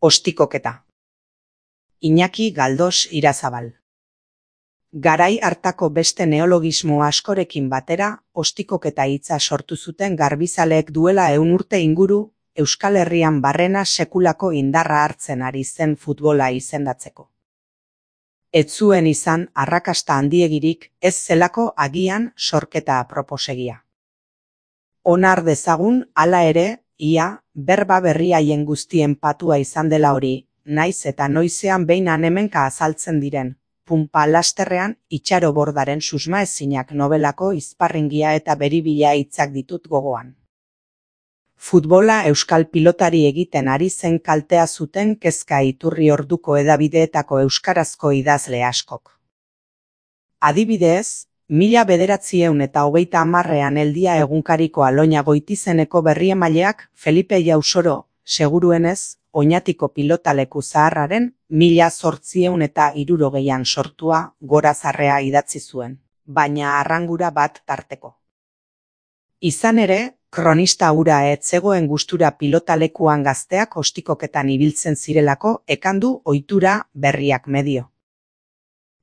Ostikoketa. Iñaki Galdos Irazabal. Garai hartako beste neologismo askorekin batera, ostikoketa hitza sortu zuten garbizaleek duela 100 urte inguru, Euskal Herrian barrena sekulako indarra hartzen ari zen futbola izendatzeko. Ez zuen izan arrakasta handiegirik, ez zelako agian sorketa aproposegia. Onar dezagun, hala ere, ia, berba berri haien guztien patua izan dela hori, naiz eta noizean behin hemenka azaltzen diren, punpa lasterrean itxaro bordaren susmaezinak nobelako izparringia eta beribila hitzak ditut gogoan. Futbola euskal pilotari egiten ari zen kaltea zuten kezka iturri orduko hedabideetako euskarazko idazle askok. Adibidez, 1930ean Eldia egunkariko Aloña Goitizeneko berriemaileak Felipe Jausoro, seguruenez, Oñatiko pilotaleku zaharraren 1860ean sortua gorazarrea idatzi zuen, baina arrangura bat tarteko. Izan ere, kronista hura ez zegoen gustura pilotalekuan gazteak ostikoketan ibiltzen zirelako ekandu ohitura berriak medio.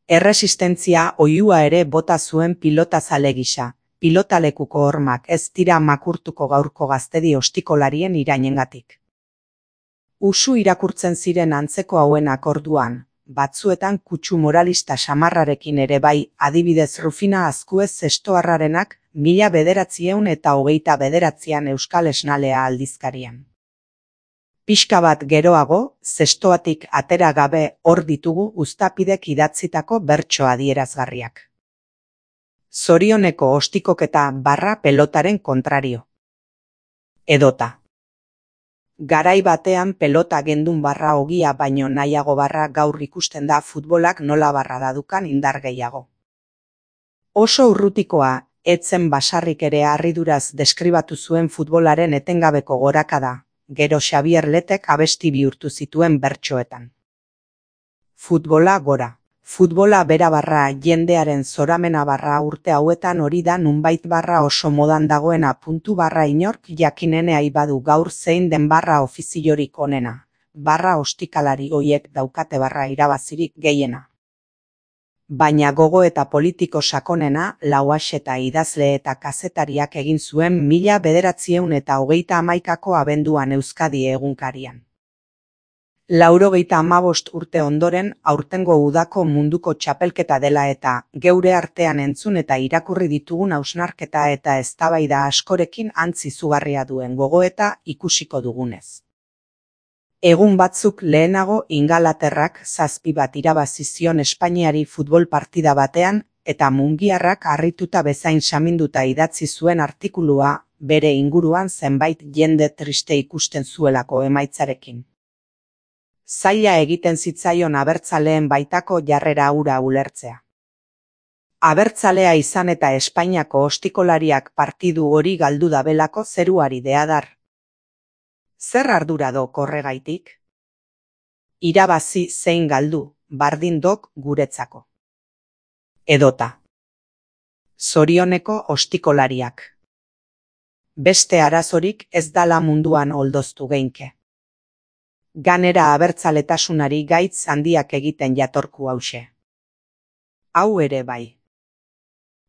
Erresistentzia oihua ere bota zuen pilotazale gisa, pilotalekuko hormak ez dira makurtuko gaurko gaztedi ostikolarien irainengatik. Usu irakurtzen ziren antzeko hauenak orduan, batzuetan kutsu moralista samarrarekin ere bai, adibidez Rufina Azkuez zestoarrarenak 1929an Euskal Esnalea aldizkarian. Pixka bat geroago, zestoatik atera gabe hor ditugu uztapidek idatzitako bertso adierazgarriak. Zorioneko ostikoketa barra pelotaren kontrario. Edota. Garai batean pelota gendun barra ogia baino nahiago barra gaur ikusten da futbolak nola barra dadukan indar gehiago. Oso urrutikoa, etzen basarrik ere harriduraz deskribatu zuen futbolaren etengabeko gorakada. Gero Xabier Letek abesti bihurtu zituen bertsoetan. Futbola gora. Futbola bera barra jendearen zoramena barra urte hauetan hori da nunbait barra oso modan dagoena puntu barra inork jakinenea ibadu gaur zein den barra ofiziorik onena. Barra ostikalari hoiek daukate barra irabazirik gehiena. Baina gogo eta politiko sakonena Lauaxeta idazle eta kazetariak egin zuen 1931ko abenduan Euskadi egunkarian. 95 urte ondoren aurtengo udako munduko txapelketa dela eta geure artean entzun eta irakurri ditugun hausnarketa eta eztabaida askorekin antz izugarria duen gogoeta ikusiko dugunez. Egun batzuk lehenago Ingalaterrak 7 bat irabazi zion Espainiari futbol partida batean eta mungiarrak harrituta bezain saminduta idatzi zuen artikulua bere inguruan zenbait jende triste ikusten zuelako emaitzarekin. Zaila egiten zitzaion abertzaleen baitako jarrera hura ulertzea. Abertzalea izan eta Espainiako ostikolariak partidu hori galdu dabelako zeruari deadar. Zer ardura do korregaitik? Irabazi zein galdu, bardin dok guretzako. Edota. Zorioneko ostikolariak. Beste arazorik ez dala munduan oldoztu geinke. Ganera abertzaletasunari gaitz handiak egiten jatorku hause. Hau ere bai.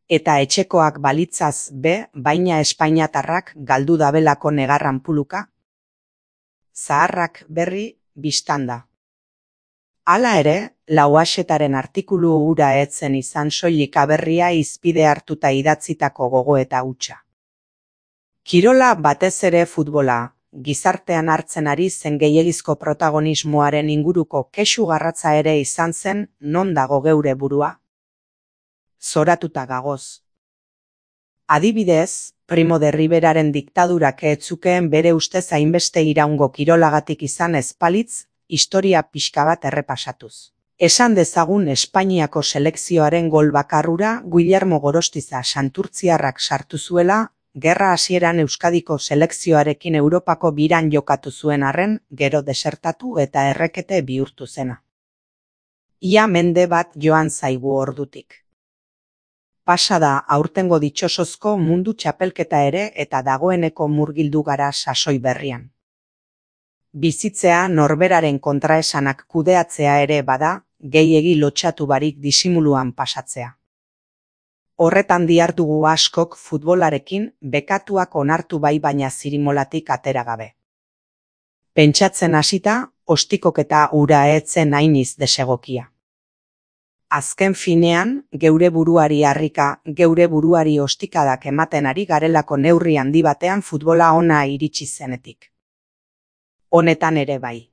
Eta etxekoak balitzaz baina espainiatarrak galdu dabelako negarran puluka? Zaharrak berri biztanda. Hala ere, Lauaxetaren artikulu hura etzen izan soilik aberria izpide hartuta idatzitako gogoeta hutsa. Kirola batez ere futbola, gizartean hartzen ari zen gehiegizko protagonismoaren inguruko kexu garratza ere izan zen non dago geure burua. Zoratuta gagoz. Adibidez, Primo de Riveraren diktadurak ez zukeen bere ustez hainbeste iraungo kirolagatik izan ezpalitz, historia pixka bat errepasatuz. Esan dezagun Espainiako selekzioaren gol bakarrura Guillermo Gorostiza santurtziarrak sartu zuela, gerra hasieran Euskadiko selekzioarekin Europako biran jokatu zuen arren, gero desertatu eta errekete bihurtu zena. Ia mende bat joan zaigu ordutik. Pasada aurtengo ditxosozko mundu txapelketa ere eta dagoeneko murgildu gara sasoi berrian. Bizitzea norberaren kontraesanak kudeatzea ere bada, gehiegi lotxatu barik disimuluan pasatzea. Horretan dihardugu askok futbolarekin bekatuak onartu bai baina zirimolatik atera gabe. Pentsatzen hasita, ostikoketa ura etzen hainiz desegokia. Azken finean, geure buruari harrika, geure buruari ostikadak ematen ari garelako neurri handi batean futbola ona iritsi zenetik. Honetan ere bai.